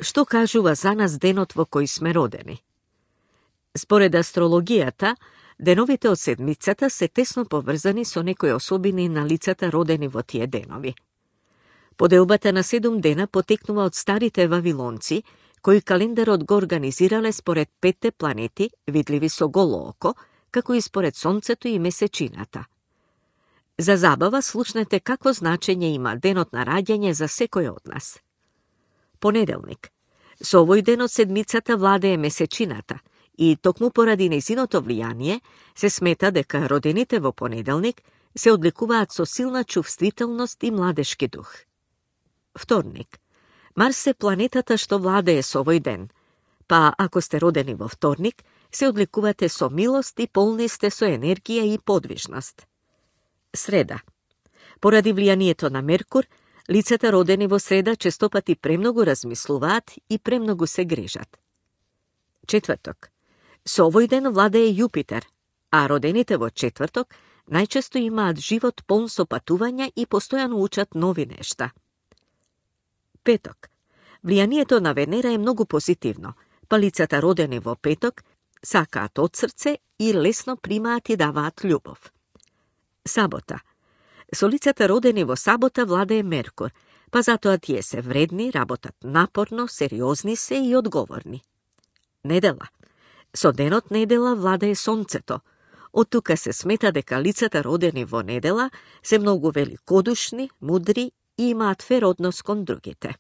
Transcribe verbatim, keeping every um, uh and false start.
Што кажува за нас денот во кој сме родени? Според астрологијата, деновите од седмицата се тесно поврзани со некои особини на лицата родени во тие денови. Поделбата на седум дена потекнува од старите вавилонци, кои календарот го организирале според петте планети, видливи со голо око, како и според Сонцето и Месечината. За забава слушнете какво значење има денот на раѓање за секој од нас. Понеделник. Со овој ден од седмицата владее Месечината и токму поради нејзиното влијание се смета дека родените во понеделник се одликуваат со силна чувствителност и младешки дух. Вторник. Марс е планетата што владее со овој ден, па ако сте родени во вторник, се одликувате со милост и полни сте со енергија и подвижност. Среда. Поради влијанието на Меркур, лицата родени во среда честопати премногу размислуваат и премногу се грижат. Четврток. Со овој ден владее Јупитер, а родените во четврток најчесто имаат живот полн со патувања и постојано учат нови нешта. Петок. Влијанието на Венера е многу позитивно, па лицата родени во петок сакаат од срце и лесно примаат и даваат љубов. Сабота. Со лицата родени во сабота владее Меркур, па затоа тие се вредни, работат напорно, сериозни се и одговорни. Недела. Со денот недела владее Сонцето. Од тука се смета дека лицата родени во недела се многу великодушни, мудри и имаат фер однос кон другите.